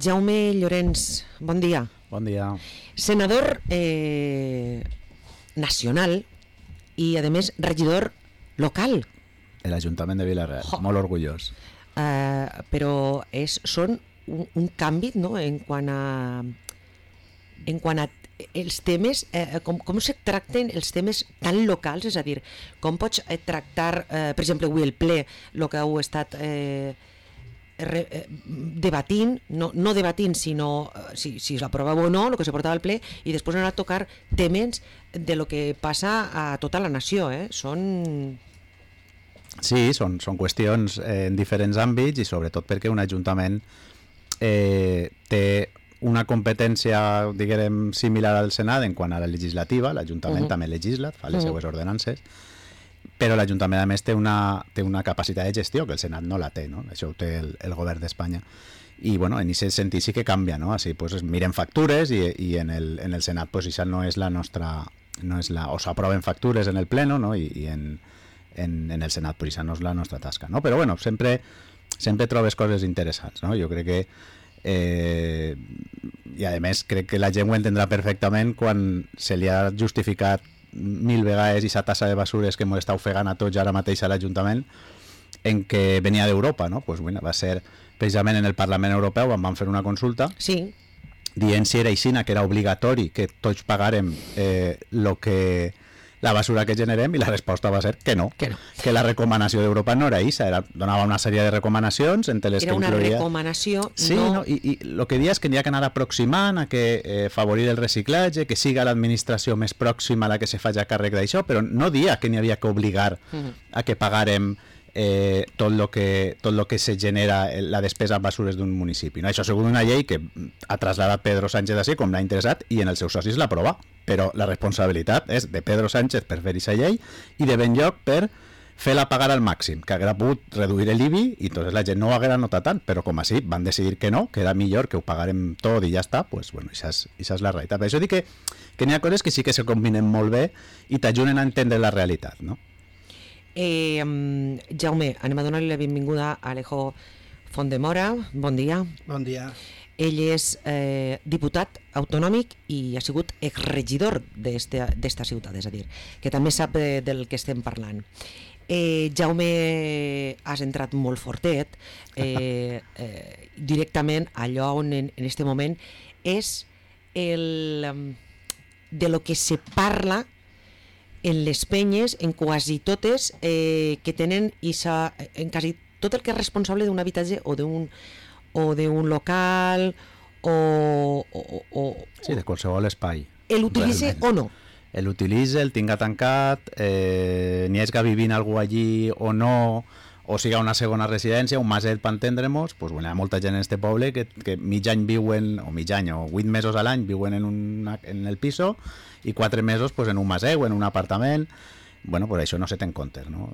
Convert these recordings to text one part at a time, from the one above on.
Jaume Llorenç, bon dia. Bon dia. Senador nacional i, a més, regidor local. L'Ajuntament de Vila-real, molt orgullós. Però són un canvi, no?, en quant a els temes, com se tracten els temes tan locals, és a dir, com pots tractar, per exemple, avui el ple, el que heu estat debatint, no debatint, sinó si s'aprovava o no, el que se portava al ple, i després anar a tocar temes de lo que passa a tota la nació. Sí, són qüestions en diferents àmbits i sobretot perquè un ajuntament té una competència, diguem, similar al Senat en quant a la legislativa. L'Ajuntament també legisla, fa les seues ordenances, però l'Ajuntament a més té una capacitat de gestió que el Senat no la té, no? Això ho té el govern d'Espanya. I bueno, en aquest sentit sí que canvia, no? Així pues, miren factures i en el Senat pues, això no és la nostra, o s'aproven factures en el pleno, no? I en el Senat pues, això no és la nostra tasca, no? Però bueno, sempre trobes coses interessants, no? Jo crec que i a més crec que la gent ho entendrà perfectament quan se li ha justificat 1000 vegades aquesta tassa de basures que ens està ofegant a tots ara mateix a l'Ajuntament en què venia d'Europa, no? Pues, bueno, va ser precisament en el Parlament Europeu on van fer una consulta dient si era així, que era obligatori que tots pagarem la basura que generem, i la resposta va ser que no, que la recomanació d'Europa no era això, donava una sèrie de recomanacions entre les que incloïa... Era una recomanació, sí, no... I el que dia és que n'hi ha que anar aproximant a que favorir el reciclatge, que siga l'administració més pròxima a la que se faci a càrrec d'això, però no dia que n'hi havia que obligar a que pagarem tot lo que se genera la despesa en basures d'un municipi, no? Això segons una llei que ha traslladat Pedro Sánchez així com l'ha interessat i en els seus socis l'aprova, però la responsabilitat és de Pedro Sánchez per fer aquesta llei i de Benlloc per fer-la pagar al màxim, que haguera pogut reduir l'IBI i entonces la gent no ho haguera notat tant, però com així van decidir que no, que era millor que ho pagarem tot i ja està, pues bueno, això és la realitat. Per això dic que n'hi ha coses que sí que se combinen molt bé i t'ajuden a entendre la realitat, no? Jaume, anem a donar-li la benvinguda a Alejo Fontdemora. Bon dia. Bon dia. Ell és diputat autonòmic i ha sigut exregidor d'esta ciutat, és a dir, que també sap del que estem parlant. Jaume, has entrat molt fortet, directament allò on en este moment és de lo que se parla en les penyes, en quasi totes que tenen en quasi tot el que és responsable d'un habitatge o d'un local sí, de qualsevol espai. L'utilitza o no? L'utilitza, el tinga tancat, n'hi hagi vivint algú allí o no, o siga una segona residència, un maset per entendre-nos, pues, bueno, hi ha molta gent en este poble que mig any viuen, o 8 mesos a l'any viuen en el piso i 4 mesos pues, en un maset o en un apartament. Bueno, pues això no se té en compte, no?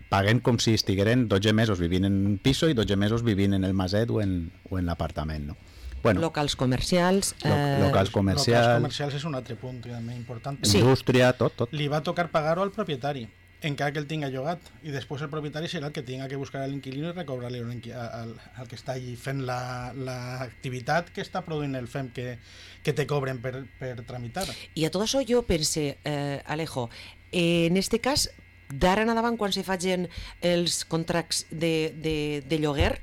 Paguen com si estigueren 12 mesos vivint en un piso i 12 mesos vivint en el maset o en l'apartament, no? Bueno, locals comercials. Locals comercials és un altre punt també important. Sí. Indústria, tot. Li va tocar pagar-ho al propietari, encara que el tinga llogat, i després el propietari serà el que tinga que buscar l'inquilino i recobrar-li al que està allí fent l'activitat que està produint el FEM que te cobren per tramitar. I a tot això jo pense, Alejo, en este cas, d'ara en endavant, quan se facin els contractes de lloguer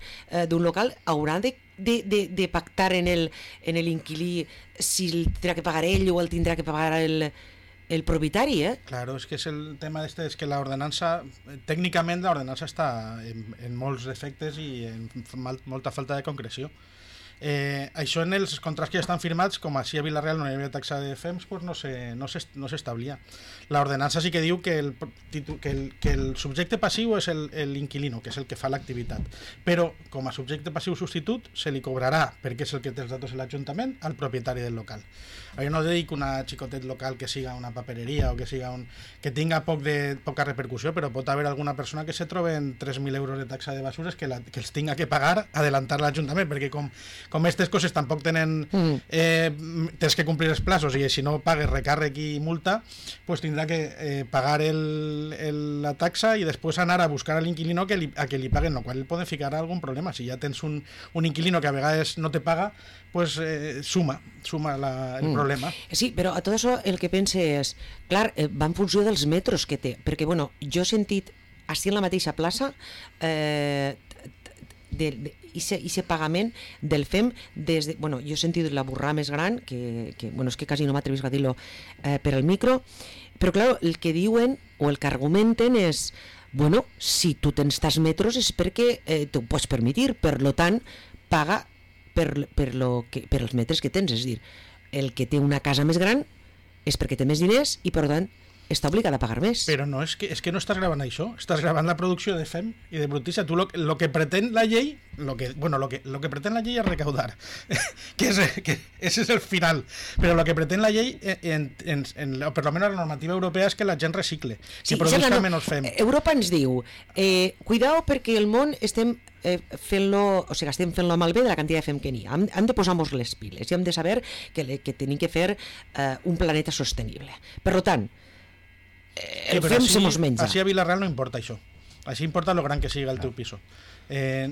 d'un local, hauran de pactar en l'inquilí si el tindrà que pagar ell o el tindrà que pagar el propietari, Claro, és que és el tema és que l'ordenança, tècnicament l'ordenança està en molts defectes i en molta falta de concreció. Això en els contractes que ja estan firmats, com així a Vila-real no hi havia taxa de FEMS, pues no s'establia. L'ordenança sí que diu que el subjecte passiu és l'inquilino, que és el que fa l'activitat, però com a subjecte passiu substitut se li cobrarà, perquè és el que té els datos de l'Ajuntament, al propietari del local. Jo no dic una xicotet local que siga una papereria o que tinga poca repercussió, però pot haver alguna persona que se trobe en 3.000 euros de taxa de basures que els tinga que pagar, adelantar l'Ajuntament, perquè com aquestes coses tampoc tenen tens que complir els plaços i si no pagues recàrrec i multa, pues tindrà que pagar la taxa i després anar a buscar a l'inquilino a que li paguen, lo qual poden ficar algun problema. Si ja tens un inquilino que a vegades no te paga, pues suma el problema. Sí, però a tot això el que pense és, clar, va en funció dels metros que té, perquè bueno, jo he sentit així en la mateixa plaça ese pagament del FEM des de, bueno, jo he sentit la burrada més gran que bueno, és que quasi no m'atrevis a dir-lo per al micro, però clar, el que diuen o el que argumenten és, bueno, si tu tens tants metros és perquè t'ho pots permetir, per lo tant paga per els metres que tens, és a dir, el que té una casa més gran és perquè té més diners i per tant està obligat a pagar més. Però no, és que no estàs gravant això, estàs gravant la producció de FEM i de brutícia. Tu lo que pretén la llei, lo que pretén la llei és recaudar, que ese és el final, però lo que pretén la llei, o per lo menos la normativa europea, és que la gent recicle, que produzca menys FEM. Europa ens diu, cuidao perquè el món estem fent-lo, o sigui, estem fent-lo malbé de la quantitat de FEM que n'hi ha. Hem de posar-nos les piles i hem de saber que tenim que fer un planeta sostenible. Per tant, el FEM se mos menja. Així a Vilareal no importa això. Així importa lo gran que siga el teu piso.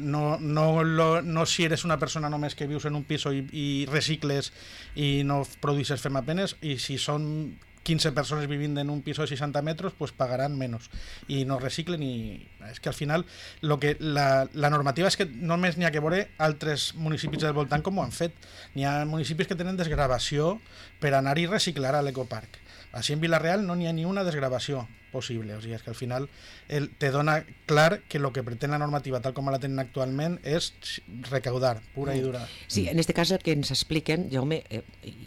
No si eres una persona només que vius en un piso i recicles i no produces FEM apenas, i si són 15 persones vivint en un piso de 60 metres, pues pagaran menos i no reciclen. I és que al final la normativa és que només n'hi ha que veure altres municipis del voltant com ho han fet. N'hi ha municipis que tenen desgravació per anar i reciclar a l'ecoparc. Així en Vilareal no n'hi ha ni una desgravació possible, o sigui, és que al final te dona clar que el que pretén la normativa tal com la tenen actualment és recaudar, pura i dura. Sí, en este cas el que ens expliquen, Jaume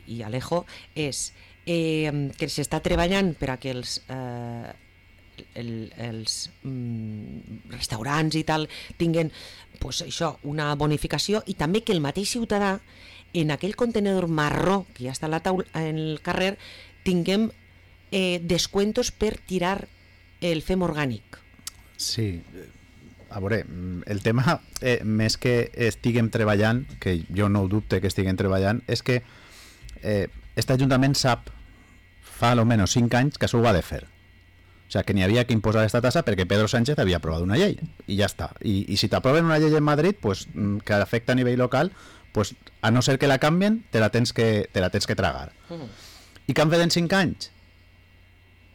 i Alejo, és que s'està treballant per a que els restaurants i tal tinguin pues, això, una bonificació, i també que el mateix ciutadà en aquell contenedor marró que ja està en el carrer tinguem descuentos per tirar el FEM orgànic. Sí, a veure, el tema més que estiguem treballant, que jo no ho dubte que estiguem treballant, és que este Ajuntament sap fa almenys 5 anys que això ho va de fer. O sigui, que n'hi havia que imposar aquesta tassa perquè Pedro Sánchez havia aprovat una llei i ja està. I si t'aproven una llei en Madrid pues, que afecta a nivell local, pues, a no ser que la canvien, te la tens que tragar. I què han fet en 5 anys?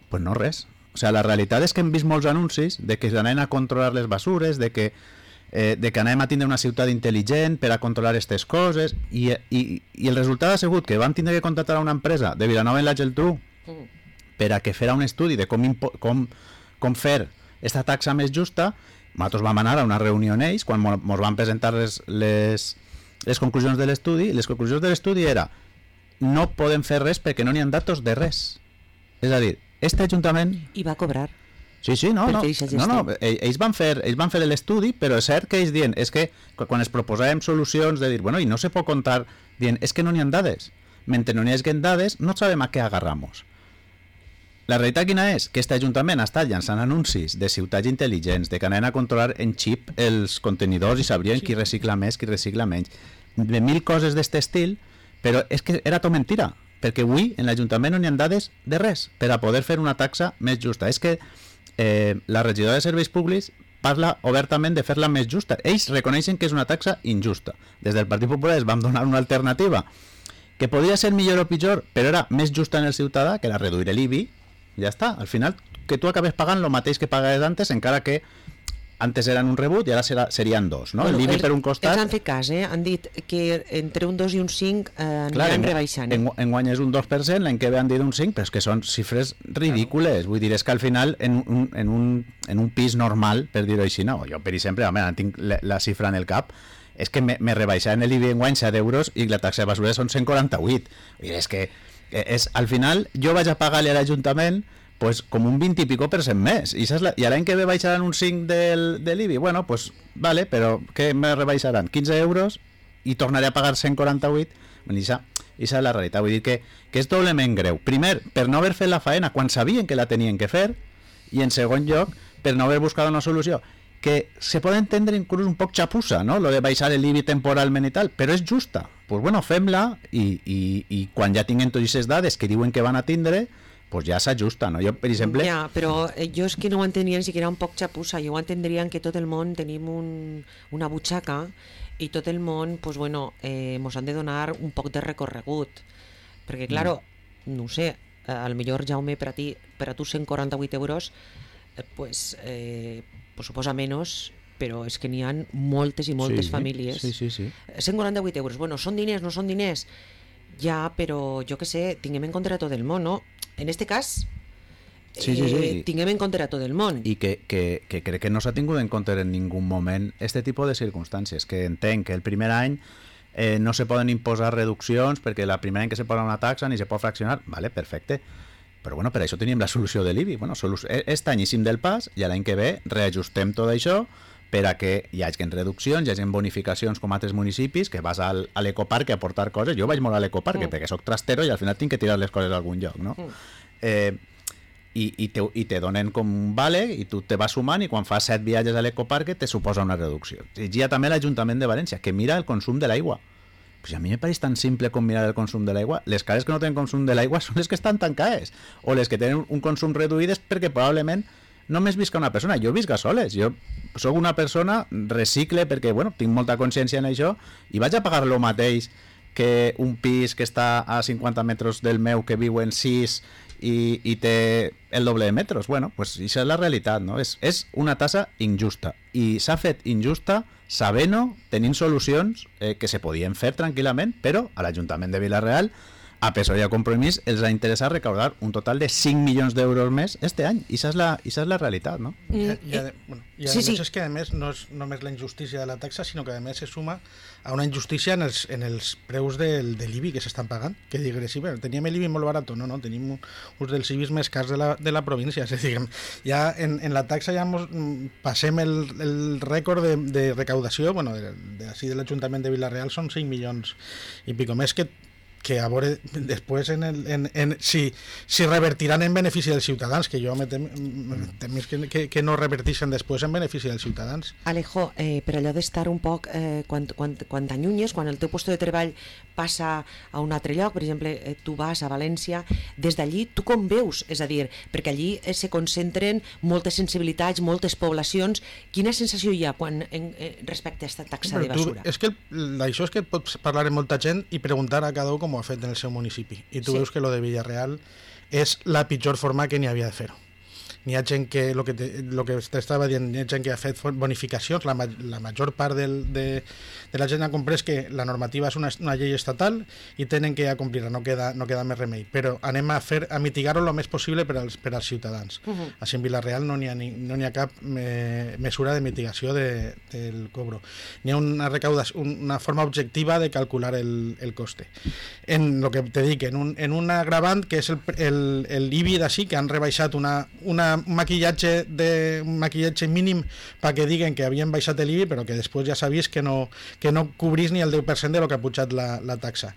Pues no res. O sigui, la realitat és que hem vist molts anuncis de que anem a controlar les basures, de que anem a tindre una ciutat intel·ligent per a controlar aquestes coses, i el resultat ha sigut que vam tindre que contractar a una empresa de Vilanova i la Geltrú per a que fera un estudi de com fer aquesta taxa més justa. Nosaltres vam anar a una reunió en ells quan ens van presentar les conclusions de l'estudi, i les conclusions de l'estudi era no podem fer res perquè no n'hi ha datos de res. És a dir, este Ajuntament... I va cobrar. Sí, no, ells van fer l'estudi, però és cert que ells diuen, és que quan es proposàvem solucions de dir, bueno, i no se pot contar, diuen, és que no n'hi ha dades. Mentre no n'hi hagi dades, no sabem a què agarramos. La realitat quina és? Que este Ajuntament ha estat llançant anuncis de ciutats intel·ligents, de que anaven a controlar en xip els contenidors i sabrien qui recicla més, qui recicla menys, de 1000 coses d'aquest estil, però és que era tot mentira, perquè avui en l'Ajuntament no n'hi ha dades de res per a poder fer una taxa més justa. És que la regidora de Serveis Públics parla obertament de fer-la més justa. Ells reconeixen que és una taxa injusta. Des del Partit Popular es vam donar una alternativa que podia ser millor o pitjor, però era més justa en el ciutadà, que era reduir l'IBI. Ja està, al final que tu acabes pagant el mateix que pagaves antes, encara que antes eren un rebut i ara serien dos, no? Bueno, l'IBI per un costat... Els han fet cas, han dit que entre un 2 i un 5 aniran rebaixant. Enguany és un 2%, l'any que ve han dit un 5%, però és que són xifres ridícules. Vull dir, és que al final en un pis normal, per dir-ho així, no, jo per exemple, tinc la xifra en el cap, és que me rebaixaran l'IBI enguany 7 euros i la taxa de basura són 148. Vull dir, és que al final jo vaig a pagar-li a l'Ajuntament pues com un 20 i pico % més, i l'any que ve baixaran un 5 de l'IBI, bueno, pues vale, però què me rebaixaran? 15 euros i tornaré a pagar 148. Bueno, això és la realitat, vull dir que és doblement greu. Primer, per no haver fet la faena quan sabien que la tenien que fer, i en segon lloc, per no haver buscat una solució que se pot entendre inclús un poc xapussa, no? Lo de baixar l'IBI temporalment i tal, però és justa. Pues bueno, fem-la i quan ja tinguem totes aquestes dades que diuen que van a tindre, pues ja s'ajusta, no? Jo, per exemple... Ja, però jo és que no ho entendria ni siquiera un poc xapussa, jo ho entendria que tot el món tenim una butxaca i tot el món, pues bueno, mos han de donar un poc de recorregut, perquè, claro, no ho sé, al millor, Jaume, per a tu 148 euros, pues suposa menys, però és que n'hi ha moltes i moltes famílies. Sí. 148 euros, bueno, són diners, no són diners? Ja, però jo que sé, tinguem en compte a tot el món, no? En este cas, tinguem en compte a tot el món. I que crec que no s'ha tingut en compte en ningú moment este tipus de circumstàncies, que entenc que el primer any no se poden imposar reduccions perquè el primer any que se posa una taxa ni se pot fraccionar, vale, perfecte. Però bueno, per això tenim la solució de l'IBI. Bueno, aquest any eixim del pas i l'any que ve reajustem tot això per a que hi hagi reduccions, hi hagi bonificacions com altres municipis, que vas a l'ecoparc a aportar coses. Jo vaig molt a l'ecoparc perquè soc trastero i al final tinc que tirar les coses a algun lloc, no? I te donen com un vale i tu te vas sumant i quan fas 7 viatges a l'ecoparc te suposa una reducció. I hi ha també l'Ajuntament de València, que mira el consum de l'aigua. Pues a mi me pareix tan simple com mirar el consum de l'aigua. Les cases que no tenen consum de l'aigua són les que estan tancades, o les que tenen un consum reduït és perquè probablement només visca una persona. Jo visc a soles, jo sóc una persona, recicle perquè bueno, tinc molta consciència en això i vaig a pagar el mateix que un pis que està a 50 metres del meu que viu en 6 i té el doble de metres. Bueno, pues això és la realitat, no? És una tassa injusta i s'ha fet injusta sabent-ho, tenint solucions que se podien fer tranquil·lament, però a l'Ajuntament de Vila-real, a PSOE i a Compromís, els ha interessat recaudar un total de 5 milions d'euros més este any. I això és la realitat, no? I a més és que a més no és només la injustícia de la taxa, sinó que a més se suma a una injustícia en els preus de l'IBI que s'estan pagant, que digues, sí, teníem l'IBI molt barat, no, tenim uns dels IBIs més cars de la província, és a dir, ja en la taxa ja passem el rècord de recaudació, bueno, de l'Ajuntament de Vila-real són 5 milions i pico més que a veure després si revertiran en benefici dels ciutadans, que jo me temis que no revertixen després en benefici dels ciutadans. Alejo, per allò d'estar un poc, quan t'allunyes, quan el teu lloc de treball passa a un altre lloc, per exemple, tu vas a València, des d'allí tu com veus? És a dir, perquè allí se concentren moltes sensibilitats, moltes poblacions. Quina sensació hi ha respecte a aquesta taxa de basura? És que això és que pots parlar amb molta gent i preguntar a cada un com ho ha fet en el seu municipi. I tu veus que lo de Villarreal és la pitjor forma que n'hi havia de fer-ho. N'hi ha gent que, el que t'estava dient, n'hi ha gent que ha fet bonificacions, la major part de la gent ha comprès que la normativa és una llei estatal i tenen que complir-la, no queda més remei, però anem a mitigar-ho el més possible per als ciutadans. Així en Vila-real no n'hi ha cap mesura de mitigació del cobro. N'hi ha una forma objectiva de calcular el coste. En el que te dic, en un agravant que és l'IBI d'ací, que han rebaixat un maquillatge mínim perquè diguen que havien baixat l'IBI, però que després ja s'ha vist que no cobrís ni el 10% de lo que ha pujat la taxa.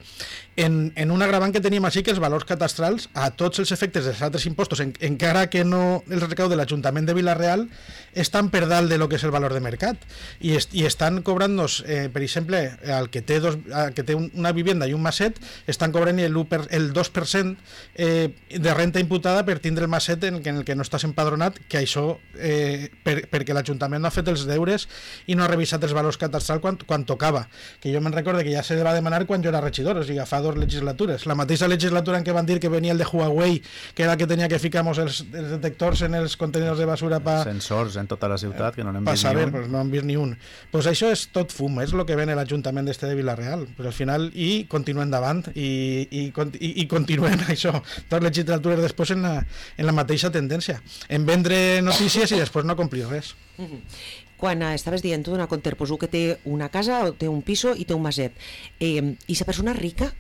En un agravant que tenim així, que els valors catastrals, a tots els efectes dels altres impostos, encara que no el recau de l'Ajuntament de Vila-real, estan per dalt de lo que és el valor de mercat. I estan cobrant-nos, per exemple, al que té una vivenda i un maset, estan cobrant el 2% de renta imputada per tindre el maset en el que no estàs empadronat, que això perquè l'Ajuntament no ha fet els deures i no ha revisat els valors catastrals quan tocava, que jo me'n recordo que ja se va demanar quan jo era regidor, o sigui, fa 2 legislatures, la mateixa legislatura en què van dir que venia el de Huawei, que era el que tenia que ficar els detectors en els contenidors de basura sensors en tota la ciutat, que no n'hem vist ni un. Pues no hem vist ni un. Pues això és tot fum, és el que ven l'Ajuntament de Vila-real, però al final continuem davant i continuem això, 2 legislatures després en la mateixa tendència, en vendre notícies i després no complir res. Quan estaves dient tu d'una conterposu que té una casa o té un piso i té un maset, i la persona rica?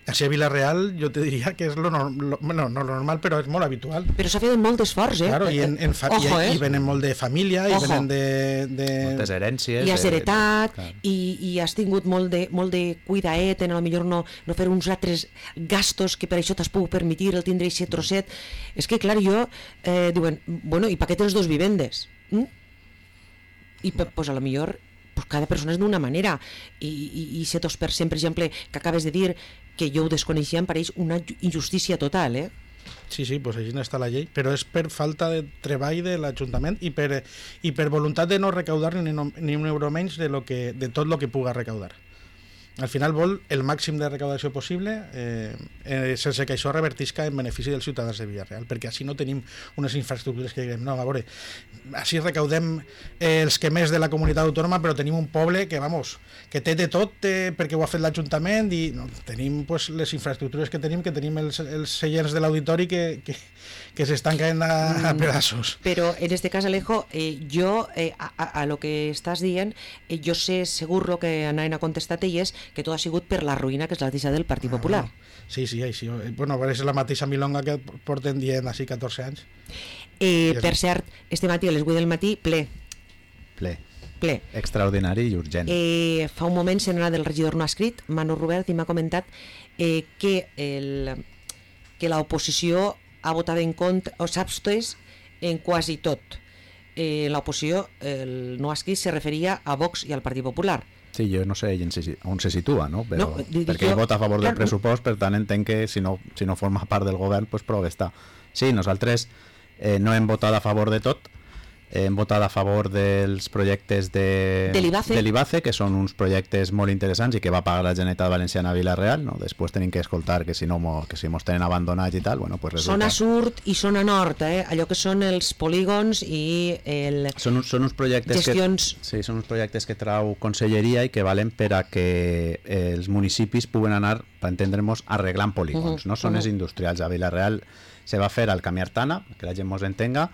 Així a Vila-real jo te diria que és no normal, però és molt habitual. Però s'ha fet molt d'esforç, Claro, i venen molt de família, i venen de... moltes herències. I has heretat, i has tingut molt de cuidaet, en potser no fer uns altres gastos que per això t'has pogut permetir el tindre aquest trosset. És que, clar, diuen, bueno, i per què tens 2 vivendes? i pues, a lo millor pues, cada persona és d'una manera i ser 2%, per exemple, que acabes de dir que jo ho desconeixia, em pareix una injustícia total, Sí, pues així està la llei, però és per falta de treball de l'Ajuntament i per voluntat de no recaudar ni un euro menys de tot el que puga recaudar. Al final vol el màxim de recaudació possible sense que això revertisca en benefici dels ciutadans de Villarreal, perquè així no tenim unes infraestructures que diguem, no, a veure, així recaudem els que més de la comunitat autònoma, però tenim un poble que, que té de tot perquè ho ha fet l'Ajuntament i no, tenim pues, les infraestructures que tenim els seients de l'auditori que s'estan caient a pedazos. Però en este cas, Alejo, jo a lo que estàs dient, jo sé segur lo que anaven a contestar elles, que tot ha sigut per la ruïna que és la deixa del Partit Popular. Sí, així. Bueno, és la mateixa milonga que porten dient així 14 anys. Per cert, este matí, a les 8 del matí, ple. Extraordinari i urgent. Fa un moment se n'ha del regidor no ha escrit, Manu Robert, i m'ha comentat que l'oposició ha votat en contra, o s'abstés en quasi tot. L'oposició, el no ha escrit, se referia a Vox i al Partit Popular. Sí, jo no sé on se situa, no? Però, perquè ell vota a favor del pressupost, per tant entenc que si no forma part del govern, doncs prou està. Sí, nosaltres no hem votat a favor de tot, hem votat a favor dels projectes de l'IBACE, que són uns projectes molt interessants i que va pagar la Generalitat Valenciana a Vila-real, no? Després tenim que escoltar que si mos tenen abandonats i tal, bueno, pues resulta... Zona sud i zona nord, allò que són els polígons i són uns projectes gestions... són uns projectes que trau conselleria i que valen per a que els municipis puguen anar, per entendre'ns, arreglant polígons, no? Zones industrials. A Vila-real se va fer al Camí Artana, que la gent mos entenga.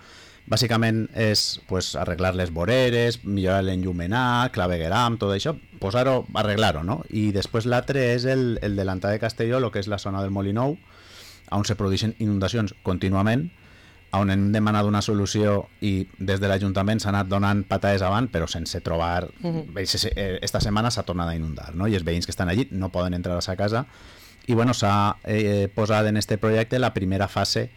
Bàsicament és pues, arreglar les voreres, millorar l'enllumenat, clavegueram, tot això, posar-ho, arreglar-ho, no? I després l'altre és el delantar de Castelló, el que és la zona del Molinou, on se produeixen inundacions contínuament, on hem demanat una solució i des de l'Ajuntament s'ha anat donant patades avant, però sense trobar... Esta setmana s'ha tornat a inundar, no? I els veïns que estan allí no poden entrar a sa casa. I bueno, s'ha posat en este projecte la primera fase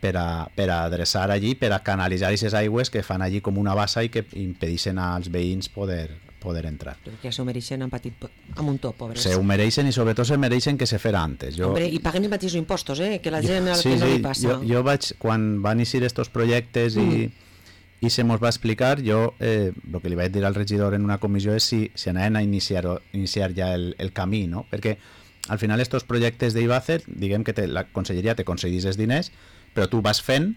per a adreçar allí, per a canalitzar aquestes aigües que fan allí com una bassa i que impedeixen als veïns poder entrar. Perquè ja s'ho mereixen amb un top, pobres. Se ho mereixen i sobretot se mereixen que se fera antes. Hombre, i paguen els mateixos impostos, que la gent que no li passa. Jo vaig, quan van iniciar estos projectes i se mos va explicar, jo el que li vaig dir al regidor en una comissió és si anaven a iniciar ja el camí, no? Perquè al final estos projectes d'IBACE, diguem que la conselleria te concedís els diners, però tu vas fent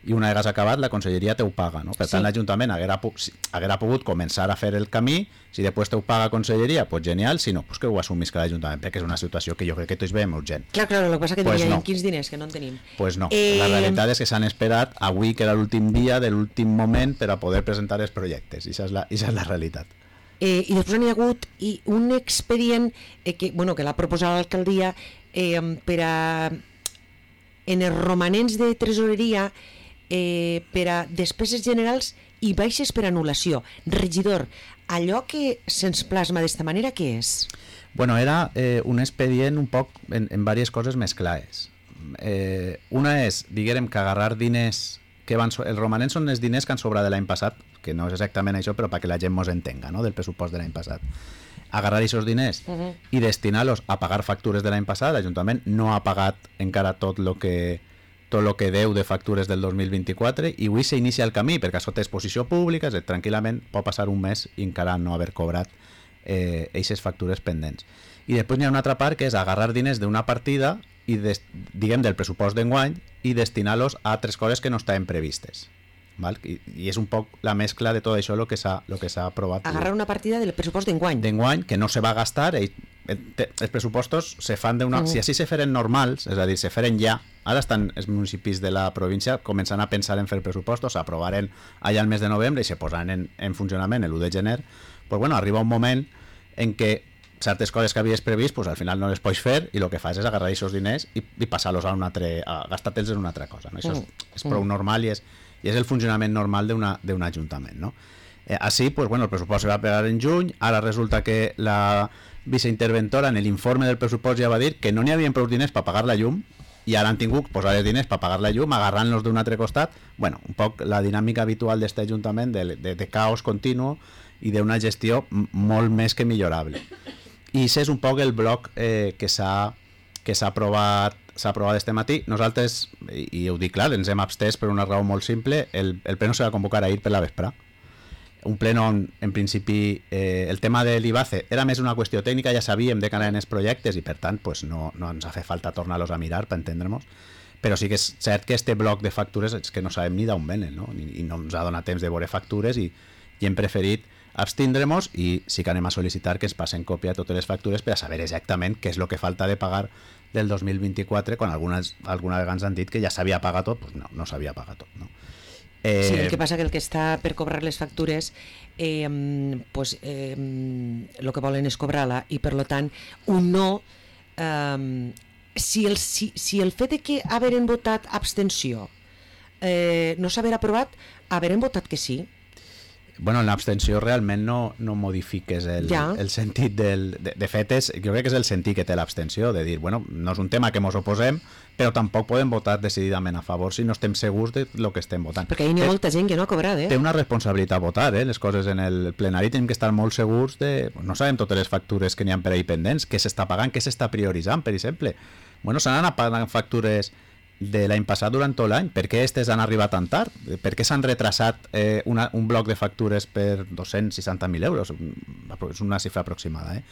i una vegada acabat la conselleria te ho paga, no? Per tant l'Ajuntament haguera pogut començar a fer el camí, si després te ho paga conselleria, pues genial, si no, pues que ho assumisca l'Ajuntament, perquè és una situació que jo crec que tots veiem urgent. Clar, el que passa que pues no. Quins diners que no en tenim. Pues no, la realitat és que s'han esperat avui, que era l'últim dia de l'últim moment per a poder presentar els projectes, i això és la realitat. I després n'hi ha hagut un expedient que l'ha proposat l'alcaldia per a en els romanents de tresoreria per a despeses generals i baixes per anul·lació. Regidor, allò que se'ns plasma d'esta manera, què és? Bueno, era un expedient un poc en diverses coses més clares. Una és, diguem, que agarrar diners que van... Els romanents són els diners que han sobrat de l'any passat, que no és exactament això, però perquè la gent mos entenga, no?, del pressupost de l'any passat. Agarrar aquests diners i destinar-los a pagar factures de l'any passat. L'Ajuntament no ha pagat encara tot lo que deu de factures del 2024 i avui s'inicia el camí, perquè això té exposició pública, tranquil·lament pot passar un mes i encara no haver cobrat aquestes factures pendents. I després hi ha una altra part que és agarrar diners d'una partida i diguem del pressupost d'enguany i destinar-los a altres coses que no estaven previstes. Val? I és un poc la mescla de tot això el que s'ha aprovat. Agarrar una partida del pressupost d'enguany. D'enguany, que no se va gastar. Els pressupostos se fan si així se feren normals, és a dir, se feren ja, ara estan els municipis de la província començant a pensar en fer pressupostos, s'aprovaren allà al mes de novembre i se posaran en funcionament l'1 de gener, pues bueno, arriba un moment en què certes coses que havies previst, pues al final no les pots fer i el que fas és agarrar aquests diners i passar-los a gastar-te'ls en una altra cosa, no? Això és prou normal i és el funcionament normal d'un ajuntament, no? Així, pues bueno, el pressupost se va pegar en juny, ara resulta que la viceinterventora en l'informe del pressupost ja va dir que no n'hi havia prou diners per pagar la llum, i ara han tingut posar els diners per pagar la llum, agarrant-los d'un altre costat. Bueno, un poc la dinàmica habitual d'aquest ajuntament de caos continu i d'una gestió molt més que millorable. I aquest és un poc el bloc que s'ha aprovat este matí. Nosaltres, i ho dic clar, ens hem abstès per una raó molt simple. El pleno se va convocar ahir per la vesprà. Un pleno on, en principi, el tema de l'IBACE era més una qüestió tècnica, ja sabíem de cara en els projectes i, per tant, pues, no ens ha fet falta tornar-los a mirar per entendre-nos. Però sí que és cert que este bloc de factures és que no sabem ni d'on venen, no? I no ens ha donat temps de veure factures i hem preferit abstindre-nos i sí que anem a sol·licitar que ens passen còpia de totes les factures per a saber exactament què és el que falta de pagar del 2024, quan alguna vegada ens han dit que ja s'havia pagat tot. Pues no s'havia pagat tot, no? Sí, el que passa que el que està per cobrar les factures el que volen és cobrar-la i per tant un no si el fet de que hagueren votat abstenció no s'haver aprovat, hagueren votat que sí. Bueno, en l'abstenció realment no modifiques el sentit de fet, jo crec que és el sentit que té l'abstenció, de dir, bueno, no és un tema que ens oposem, però tampoc podem votar decididament a favor si no estem segurs de lo que estem votant. Perquè hi ha molta gent que no ha cobrat, Té una responsabilitat votar, les coses en el plenari tenim que estar molt segurs de... No sabem totes les factures que n'hi ha per ahí pendents, què s'està pagant, què s'està prioritzant, per exemple. Bueno, s'han anat pagant factures de l'any passat durant tot l'any. Per què aquestes han arribat tan tard? Per què s'han retrasat un bloc de factures per 260.000 euros? És una xifra aproximada.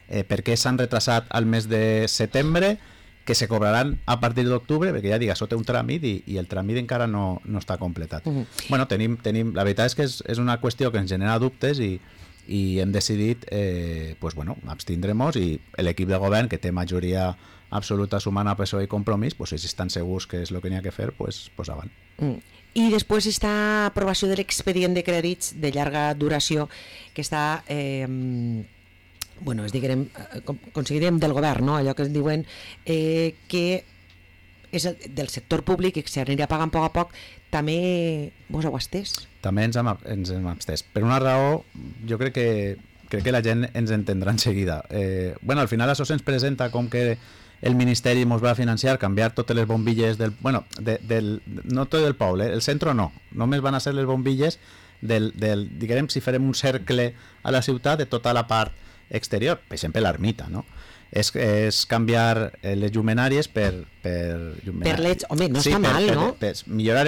Per què s'han retrasat al mes de setembre, que se cobraran a partir d'octubre? Perquè ja dic, això té un tràmit i el tràmit encara no està completat. Bueno, la veritat és que és una qüestió que ens genera dubtes i hem decidit abstindre-nos, i l'equip de govern, que té majoria absoluta sumant a PSOE i Compromís, si estan segurs que és el que n'hi ha que fer, pues avant. I després està aprovació de l'expedient de crèdits de llarga duració, que està considerem del govern, no? Allò que ens diuen que és del sector públic i que s'anirà pagant a poc, també vos heu estès? També ens hem abstès. Per una raó, jo crec que la gent ens entendrà en seguida. Al final això se'ns presenta com que el Ministeri ens va financiar canviar totes les bombilles no tot del poble, el centre no, només van a ser les bombilles diguem, si farem un cercle a la ciutat de tota la part exterior, per exemple l'ermita, no? És canviar les llumenàries per leds, home, no està mal, no? Millorar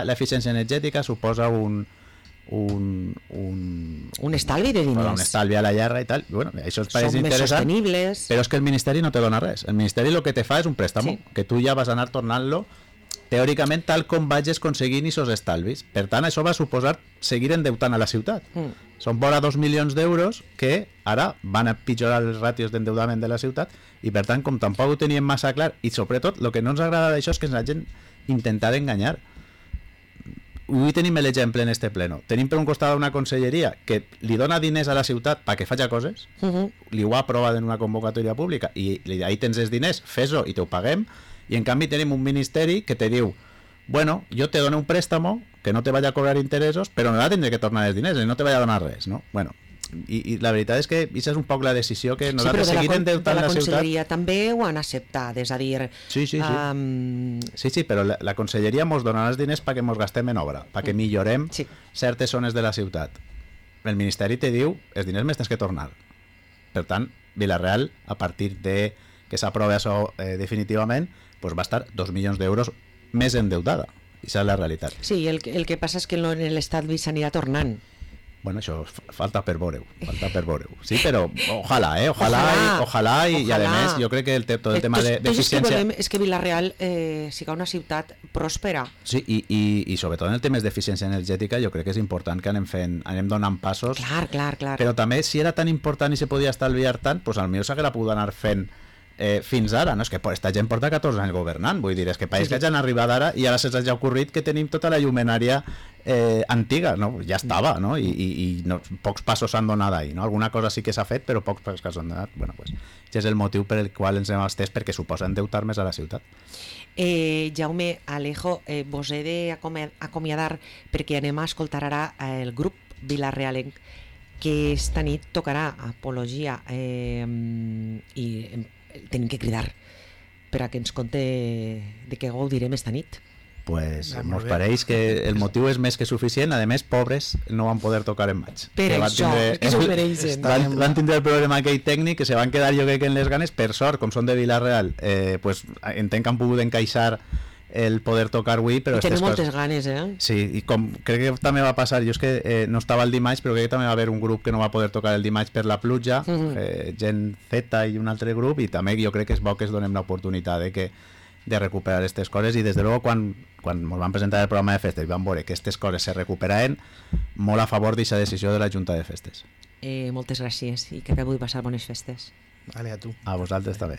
l'eficiència energètica suposa un estalvi de diners, un estalvi a la llarga i tal. Bueno, això és són més sostenibles, però és que el Ministeri no te dona res. El Ministeri el que te fa és un préstamo, que tu ja vas anar tornant-lo teòricament tal com vagis aconseguint aquests estalvis. Per tant, això va suposar seguir endeutant a la ciutat. Són vora 2 milions d'euros que ara van a pitjorar els ràtios d'endeudament de la ciutat, i per tant, com tampoc ho teníem massa clar, i sobretot el que no ens agrada d'això és que la gent intentar enganyar. Avui tenim l'exemple en este pleno. Tenim per un costat una conselleria que li dona diners a la ciutat perquè faci coses, li ho ha aprovat en una convocatòria pública i ahí tens els diners, fes-ho i te ho paguem, i en canvi tenim un ministeri que te diu, bueno, jo te dono un préstamo que no te vaya a cobrar interessos, però no tindré que tornar els diners i no te vaya a donar res, no? Bueno, i la veritat és que aquesta és un poc la decisió que nosaltres seguir endeutant la ciutat. La conselleria també ho han acceptat, és a dir... Sí, però la conselleria ens donarà els diners perquè ens gastem en obra, perquè millorem certes zones de la ciutat. El Ministeri te diu, els diners més tens que tornar. Per tant, Vila-real, a partir de que s'aprova això definitivament, va estar 2 milions d'euros més endeutada. Aquesta és la realitat. Sí, el que passa és que en l'estat s'anirà tornant. Bueno, això falta per veure-ho. Sí, però ojalà, i a més jo crec que tot el tema d'eficiència... És que Vila-real siga una ciutat pròspera. Sí, i sobretot en el tema d'eficiència energètica jo crec que és important que anem donant passos. Clar. Però també, si era tan important i se podia estalviar tant, doncs potser s'haguera pogut anar fent fins ara, no? És que aquesta gent porta 14 anys governant, vull dir, és que país que ja han arribat ara i ara se'ls ha ocorrit que tenim tota la llumenària antiga, no? Ja estava, no? I pocs passos s'han donat ahí, no? Alguna cosa sí que s'ha fet, però pocs passos s'han donat. Bueno, pues, és el motiu per el qual ens hem estès, perquè suposa endeutar més a la ciutat. Jaume, Alejo, vos he d'acomiadar perquè anem a escoltar ara el grup Vila-realenc que esta nit tocarà Apologia i tenim que cridar per a que ens conte de què gaudirem esta nit. Pues Ah, mos molt bé. pareix que el motiu és més que suficient. A més, pobres no van poder tocar en maig. Per Que van això, tindre- és que s'ho mereixen. Van tindre el problema aquell tècnic, que se van quedar jo crec que en les ganes. Per sort, com són de Vilareal, pues entenc que han pogut encaixar el poder tocar avui, però I tenim estes moltes coses... ganes, eh? Sí, i com crec que també va passar, jo és que no estava el dimarts, però crec que també va haver un grup que no va poder tocar el dimarts per la pluja, Gent Z i un altre grup, i també jo crec que és bo que es donem l'oportunitat de recuperar aquestes coses, i des de luego quan ens van presentar el programa de festes i van veure que aquestes coses se recuperaven, molt a favor d'aquesta decisió de la Junta de Festes. Moltes gràcies i que acabeu de passar bones festes. Vale, a tu. A vosaltres també.